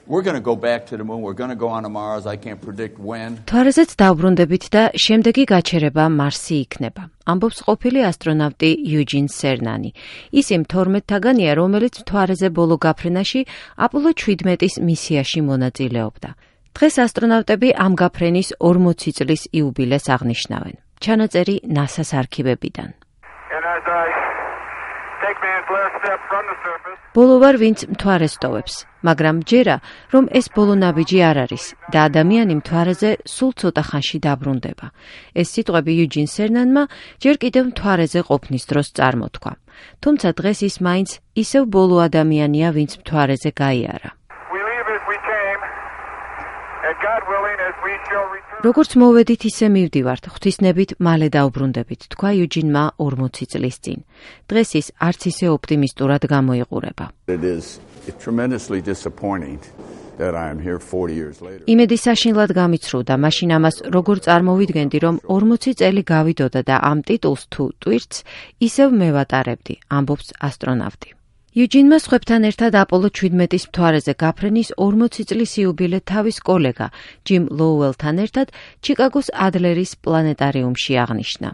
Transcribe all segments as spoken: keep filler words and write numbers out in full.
We're going to go back to the moon. We're going to go on to Mars. I can't predict when. თვარეზეც დავბრუნდებით და შემდეგი გაჩერება მარსი იქნება. ამბობს ყოფილი ასტრონავტი იუჯინ სერნანი. ის იმ თორმეტთაგანია, რომელიც თვარეზე ბოლო გაფრენაში აპოლო შვიდმეტის მისიაში მონაწილეობდა. დღეს ასტრონავტები ამ გაფრენის ორმოცი წლის იუბილეს აღნიშნავენ. ჩანაწერი ნასას არქივებიდან. ბოლო ვარ, ვინც მთვარეს ტოვებს, მაგრამ ჯერა, რომ ეს ბოლო ნაბიჯი არ არის და ადამიანი მთვარეზე სულ ცოტა ხანში დაბრუნდება. ეს სიტყვები იუჯინ სერნანმა ჯერ კიდევ მთვარეზე ყოფნის დროს წარმოთქვა. თუმცა დღეს ის მაინც ისევ ბოლო ადამიანია, ვინც მთვარეზე გაიარა. როგორც მოვედით, ისე მივდივართ, ღვთისნებით მალე დავბრუნდებით, თქვა იუჯინმა ორმოცი წლის წინ. დღეს ის არც ისე ოპტიმისტურად გამოიყურება. იმედი საშინლად გამიცრუდა, მაშინ ამას როგორ წარმოვიდგენდი, რომ ორმოცი წელი გავიდოდა და ამ ტიტულს თუ ტვირთს ისევ მე ვატარებდი, ამბობს ასტრონავტი. იუჯინმა სხვებთან ერთად აპოლო შვიდმეტის მთვარეზე გაფრენის ორმოცი წლის იუბილე თავის კოლეგა ჯიმ ლოუელთან ერთად ჩიკაგოს ადლერის პლანეტარიუმში აღნიშნა.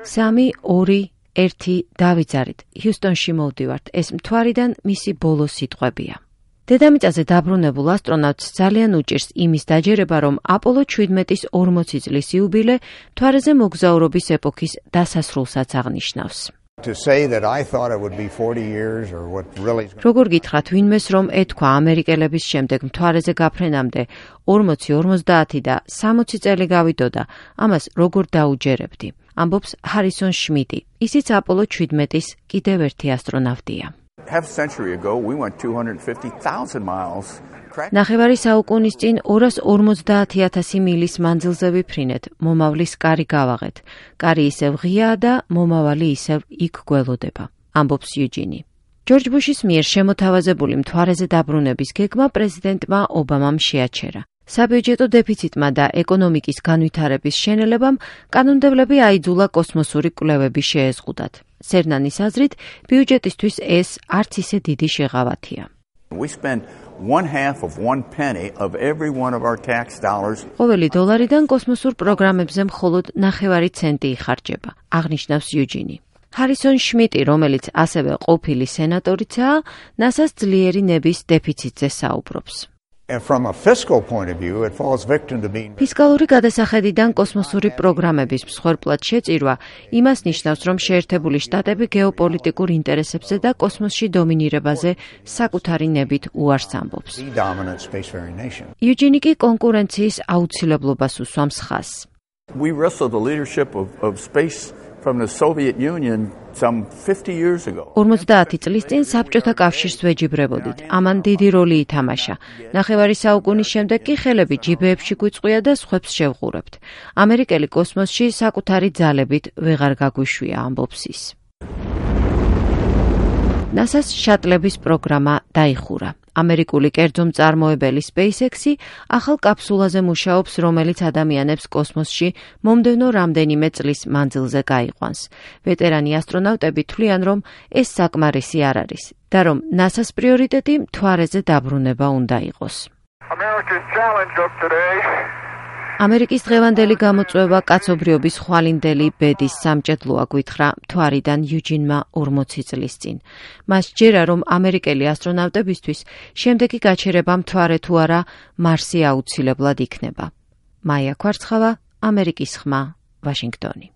სამი, ორი, ერთი, დავიძარით. ჰიუსტონში მოვდივართ. ეს მთვარიდან მისი ბოლო სიტყვებია. დედამიწაზე დაბრუნებულ ასტრონავტს ძალიან უჭირს იმის დაჯერება, რომ აპოლო შვიდმეტის ორმოცი წლის იუბილე მთვარეზე მოგზაურობის ეპოქის დასასრულსაც აღნიშნავს. როგორ გითხრათ ვინმეს, რომ ეთქვა ამერიკელების შემდეგ მთვარეზე გაფრენამდე ორმოცი, ორმოცდაათი და სამოცი წელი გავიდოდა, ამას როგორ დაუჯერებდი, ამბობს ჰარისონ შმიტი, ისიც აპოლო შვიდმეტის კიდევ ერთი ასტრონავტია. Half a century ago, we went two hundred fifty thousand miles. ნახევარი საუკუნის წინ ორას ორმოცდაათი ათასი მილის მანძილზე ვიფრინეთ, მომავლის კარი გავაღეთ. კარი ისევ ღიაა და მომავალი ისევ იქ გველოდება, ამბობს იუჯინი. ჯორჯ ბუშის მიერ შემოთავაზებული მთვარეზე დაბრუნების გეგმა პრეზიდენტმა ობამამ შეაჩერა. საბიუჯეტო დეფიციტმა და ეკონომიკის განვითარების შენელებამ კანონმდებლები აიძულა კოსმოსური კვლევები შეეზღუდათ. სერნანის აზრით, ბიუჯეტისთვის ეს არც ისე დიდი შეღავათია. ყოველი დოლარიდან კოსმოსურ პროგრამებზე მხოლოდ ნახევარი ცენტი იხარჯება, აღნიშნავს იუჯინი. ჰარისონ შმიტი, რომელიც ასევე ყოფილი სენატორიცაა, ნასას ძლიერი ნების დეფიციტზე საუბრობს. ფისკალური გადასახედიდან კოსმოსური პროგრამების მსხვერპლად შეწირვა იმას ნიშნავს, რომ შეერთებული შტატები გეოპოლიტიკურ ინტერესებზე და კოსმოსში დომინირებაზე საკუთარი ნებით უარს ამბობს. იუჯინი კი კონკურენციის აუცილებლობას უსვამს ხაზს. We wrestled the leadership of, of space from the Soviet Union some fifty years ago. ორმოცდაათი წლის წინ საბჭოთა კავშირს ვეჯიბრებოდით. ამან დიდი როლი ითამაშა. ნახევარი საუკუნის შემდეგ კი ხელები ჯიბეებში გვიწყვია და სხვებს შევღურებთ. ამერიკელი კოსმოსში საკუთარი ძალებით ვეღარ გაგვიშვია, ამბობს ის. ნასას შატლების პროგრამა დაიხურა. ამერიკული კერძო მწარმოებელი SpaceX-ი ახალ კაფსულაზე მუშაობს, რომელიც ადამიანებს კოსმოსში მომდევნო რამდენიმე წლის მანძილზე გაიყვანს. ვეტერანი ასტრონავტები თვლიან, რომ ეს საკმარისი არ არის და რომ ნასას პრიორიტეტი მთვარეზე დაბრუნება უნდა იყოს. ამერიკის დღევანდელი გამოწვევა კაცობრიობის ხვალინდელი ბედის სამჭედლოა, გვითხრა მთვარიდან იუჯინმა ორმოცი წლის წინ. მას ჯერა, რომ ამერიკელი ასტრონავტებისთვის შემდეგი გაჩერება მთვარე თუ არა მარსი აუცილებლად იქნება. მაია ქვარცხავა, ამერიკის ხმა, ვაშინგტონი.